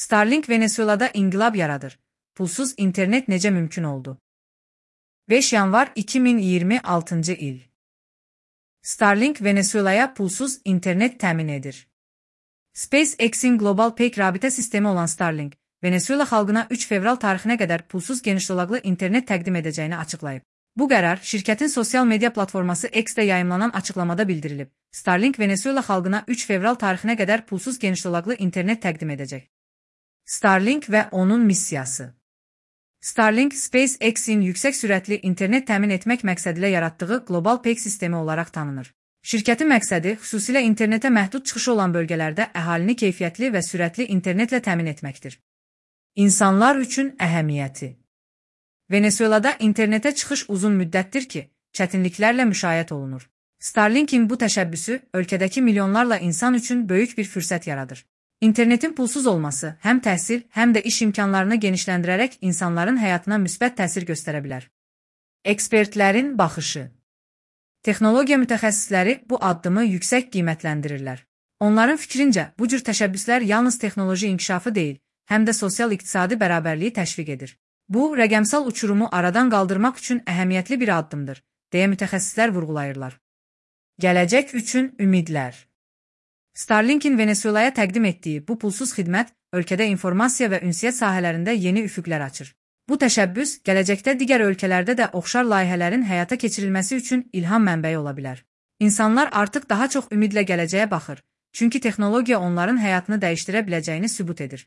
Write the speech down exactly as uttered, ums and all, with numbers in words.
Starlink Venezuelada inqilab yaradır. Pulsuz internet necə mümkün oldu? beş yanvar iki min iyirmi altıncı il. Starlink Venezuelaya pulsuz internet təmin edir. SpaceX'in qlobal peyk rabitə sistemi olan Starlink, Venezuela xalqına üç fevral tarixinə qədər pulsuz geniş dolaqlı internet təqdim edəcəyini açıqlayıb. Bu qərar şirkətin sosial media platforması X-də yayımlanan açıqlamada bildirilib. Starlink Venezuela xalqına üç fevral tarixinə qədər pulsuz geniş dolaqlı internet təqdim edəcək. Starlink və onun missiyası. Starlink, SpaceX'in yüksək sürətli internet təmin etmək məqsədilə yaratdığı qlobal peyk sistemi olaraq tanınır. Şirkətin məqsədi xüsusilə internetə məhdud çıxışı olan bölgələrdə əhalini keyfiyyətli və sürətli internetlə təmin etməkdir. İnsanlar üçün əhəmiyyəti. Venezuelada internetə çıxış uzun müddətdir ki, çətinliklərlə müşayiət olunur. Starlink'in bu təşəbbüsü ölkədəki milyonlarla insan üçün böyük bir fürsət yaradır. İnternetin pulsuz olması həm təhsil, həm də iş imkanlarını genişləndirərək insanların həyatına müsbət təsir göstərə bilər. Ekspertlərin baxışı. Texnologiya mütəxəssisləri bu addımı yüksək qiymətləndirirlər. Onların fikrincə, bu cür təşəbbüslər yalnız texnoloji inkişafı deyil, həm də sosial-iqtisadi bərabərliyi təşviq edir. Bu, rəqəmsal uçurumu aradan qaldırmaq üçün əhəmiyyətli bir addımdır, deyə mütəxəssislər vurğulayırlar. Gələcək üçün ümidlər. Starlink'in Venezuelaya təqdim etdiyi bu pulsuz xidmət ölkədə informasiya və ünsiyyət sahələrində yeni üfüqlər açır. Bu təşəbbüs gələcəkdə digər ölkələrdə də oxşar layihələrin həyata keçirilməsi üçün ilham mənbəyi ola bilər. İnsanlar artıq daha çox ümidlə gələcəyə baxır, çünki texnologiya onların həyatını dəyişdirə biləcəyini sübut edir.